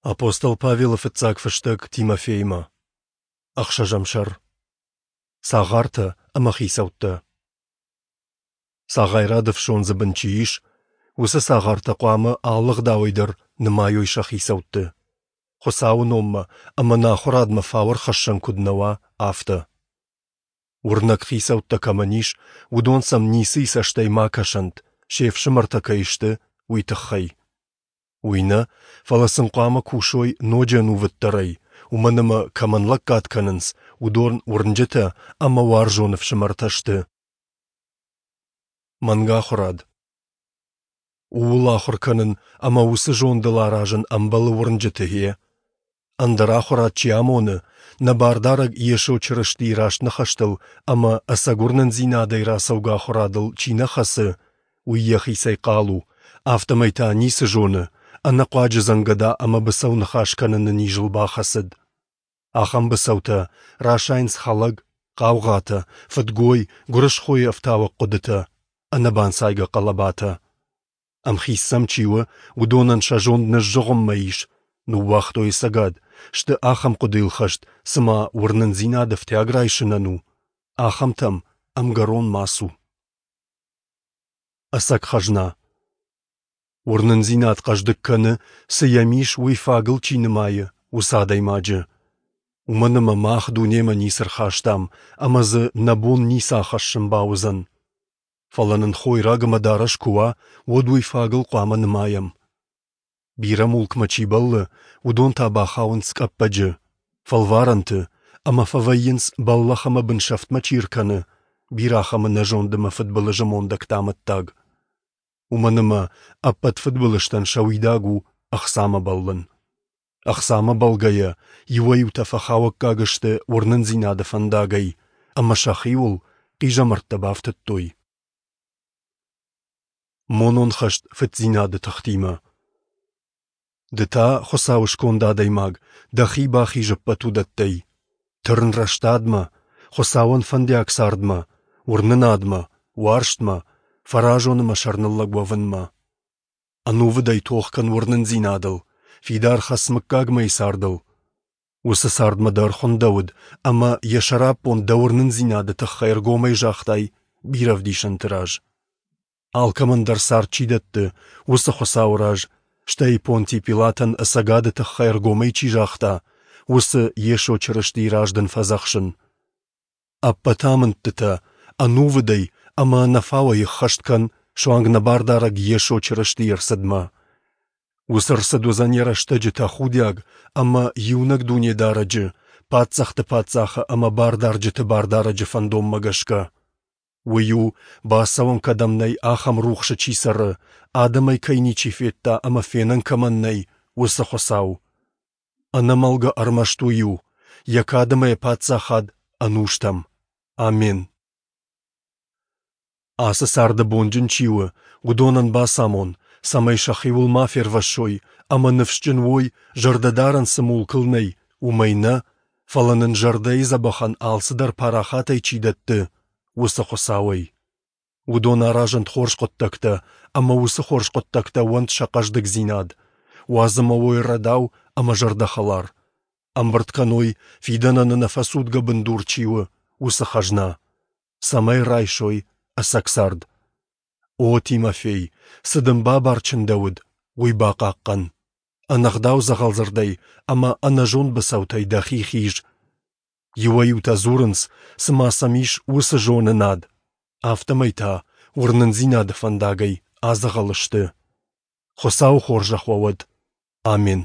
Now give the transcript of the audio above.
Апостол Павелы фыццаг фыстӕг Тимофеймӕ. Ӕхсӕзӕм сӕр. Цагъартӕ ӕмӕ хицӕуттӕ. Цагъайрады ӕфсондзы бын чи ис, уыцы цагъартӕ хъуамӕ алы ӕгъдауӕй дӕр нымайой сӕ хицӕутты, Хуыцауы номмӕ ӕмӕ нӕ ахуырадмӕ фау ӕрхӕссӕн куыд нӕ уа, афтӕ. Уырнӕг хицӕуттӕ кӕмӕн ис, уыдон сӕм ницыйы цӕстӕй ма кӕсӕнт, се фсымӕртӕ кӕй сты, уый тыххӕй. Уый нӕ, фӕлӕ сын хъуамӕ кусой ноджы ӕнувыддӕрӕй, уымӕн ӕмӕ кӕмӕн лӕггад кӕнынц, уыдон уырнджытӕ ӕмӕ уарзон ӕфсымӕртӕ сты. Мӕнгахуырад. Ууыл ахуыр кӕнын ӕмӕ уыцы зондыл аразын ӕмбӕлы уырнджыты, гъе. Ӕндӕр ахуырад чи амоны, нӕ Бардарӕг Йесо Чырыстийы раст ныхӕстыл ӕмӕ ӕцӕг уырнындзинадӕй рацӕугӕ ахуырадыл чи нӕ хӕцы, уый йӕхицӕй хъал у, афтӕмӕй та ницы зоны, ӕнӕхъуаджы дзӕнгӕда ӕмӕ быцӕу ныхас кӕныны низыл бахӕцыд. Ахӕм быцӕутӕ расайынц хӕлӕг, хъаугъатӕ, фыдгой, гуырысхойы ӕфтауӕг хъуыдытӕ, ӕнӕбанцайгӕ хъӕлӕбатӕ. Ӕмхиц сӕм чи у, уыдонӕн сӕ зонд ныззыгъуыммӕ ис, ныууагътой ӕцӕгад, сты ахӕм хъуыдыйыл хӕст, цыма уырнындзинад ӕфтиаг райсынӕн у, ахӕмтӕм ӕмгӕрон ма цу. Ӕцӕг хӕзна. Уырнындзинад хъӕздыг кӕны, цы йӕм ис, уый фагыл чи нымайы, уыцы адӕймаджы. Уымӕн ӕмӕ мах дунемӕ ницы рхастам, ӕмӕ дзы нӕ бон ницы ахӕссын бауыдзӕн. Фӕлӕ нын хойраг ӕмӕ дарӕс куы уа, уӕд уый фагыл хъуамӕ нымайӕм. Бирӕ мулкмӕ чи бӕллы, уыдон та бахауынц къӕппӕджы, фӕлварӕнты ӕмӕ фӕвӕййынц, бӕллӕх ӕмӕ бынсӕфтмӕ чи ркӕны, бирӕ ахӕмы нӕзонд ӕмӕ фыдбылызы мондӕгты амӕттаг. Уымӕн ӕмӕ ӕппӕт фыдбылызтӕн сӕ уидаг у ӕхцамӕ бӕллын. Ӕхцамӕ бӕлгӕйӕ, иуӕй-иутӕ фӕхауӕггаг сты уырнындзинады фӕндагӕй ӕмӕ сӕхиуыл хъизӕмӕрттӕ бафтыдтой. Монон хӕст фыддзинады тыхтимӕ. Ды та, Хуыцауы сконд адӕймаг, дӕхи бахиз ӕппӕт уыдӕттӕй. Тырн рӕстадмӕ, Хуыцауӕн фӕндиаг цардмӕ, уырнынадмӕ, уарзтмӕ, фӕразон ӕмӕ сӕрныллӕг уӕвынмӕ. Ӕнувыдӕй тох кӕн уырнындзинадыл, фидар хӕц мыггагмӕйы цардыл. Уыцы цардмӕ дӕр хуындӕуыд, ӕмӕ йӕ сӕраппонд дӕ уырнындзинады тыххӕй ӕргомӕй загътай бирӕ ӕвдисӕнты раз. Алкӕмӕн дӕр цард чи дӕтты, уыцы Хуыцауы раз, стӕй Понти Пилатӕн ӕцӕгады тыххӕй ӕргомӕй чи загъта, уыцы Йесо Чырыстийы раз дын фӕдзӕхсын. Ӕппӕт амындтытӕ ӕнувыдӕй ӕмӕ ӕнӕфауӕй ӕххӕст кӕн суанг нӕ Бардарӕг Йесо Чырыстийы ӕрцыдмӕ. Уыцы ӕрцыд уыдзӕн йӕ рӕстӕджы тӕхудиаг ӕмӕ иунӕг Дунедарӕджы, паддзӕхты Паддзахы ӕмӕ бардарджыты Бардарӕджы фӕндонмӕ гӕсгӕ. Уый у, бацӕуӕн кӕдӕм нӕй, ахӕм рухсы чи цӕры, адӕмӕй кӕй ничи федта ӕмӕ фенӕн кӕмӕн нӕй, уыцы Хуыцау. Ӕнӕмӕлгӕ ӕрмӕст уый у, йӕ кад ӕмӕ йӕ паддзахад ӕнустӕм. Амен. Ацы царды бонджын чи у, уыдонӕн бацамон, цӕмӕй сӕхиуыл ма фервӕссой ӕмӕ ныфсджын уой, зӕрдӕдарӕн цы мулкыл нӕй, уымӕй нӕ, фӕлӕ нын зӕрдӕйы дзӕбӕхӕн алцыдӕр парахатӕй чи дӕтты, уыцы Хуыцауӕй. Уыдон аразӕнт хорз хъуыддӕгтӕ, ӕмӕ уыцы хорз хъуыддӕгтӕ уӕнт сӕ хъӕздыгдзинад. Уадз ӕмӕ уой рӕдау ӕмӕ зӕрдӕхӕлар. Ӕмбырд кӕной, фидӕнӕн ӕнӕфӕцудгӕ бындур чи у, уыцы хӕзна, цӕмӕй райсой ӕцӕг цард. О, Тимофей, цы дын бабар чындӕуыд, уый бахъахъхъӕн. Ӕнӕгъдау дзӕгъӕлдзырдӕй ӕмӕ ӕнӕзонд быцӕутӕй дӕхи хиз. Иуӕй-иутӕ дзурынц, цыма сӕм ис уыцы зонынад, афтӕмӕй та уырнындзинады фӕндагӕй адзӕгъӕл сты. Хуыцауы хорзӕх уӕ уӕд. Амен.